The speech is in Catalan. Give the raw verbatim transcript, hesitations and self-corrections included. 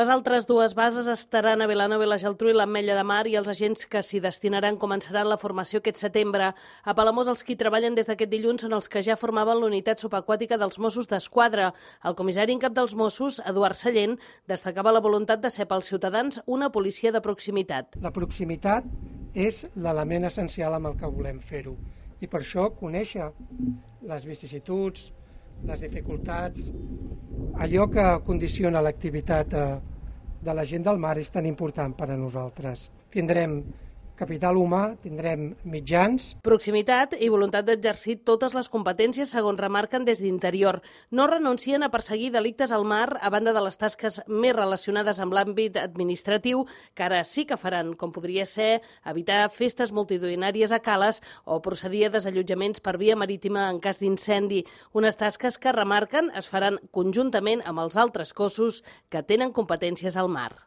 Les altres dues bases estaran a Vilanova i la Geltrú i l'Ametlla de Mar i els agents que s'hi destinaran començaran la formació aquest setembre. A Palamós els qui treballen des d'aquest dilluns són els que ja formaven l'unitat subaquàtica dels Mossos d'Esquadra. El comissari en cap dels Mossos, Eduard Sallent, destacava la voluntat de ser pels ciutadans una policia de proximitat. La proximitat és l'element essencial amb el que volem fer-ho i per això conèixer les vicissituds, les dificultats, allò que condiciona l'activitat de la gent del mar és tan important per a nosaltres. Tindrem capital humà, tindrem mitjans. Proximitat i voluntat d'exercir totes les competències segons remarquen des d'Interior. No renuncien a perseguir delictes al mar a banda de les tasques més relacionades amb l'àmbit administratiu que ara sí que faran, com podria ser evitar festes multitudinàries a cales o procedir a desallotjaments per via marítima en cas d'incendi. Unes tasques que remarquen es faran conjuntament amb els altres cossos que tenen competències al mar.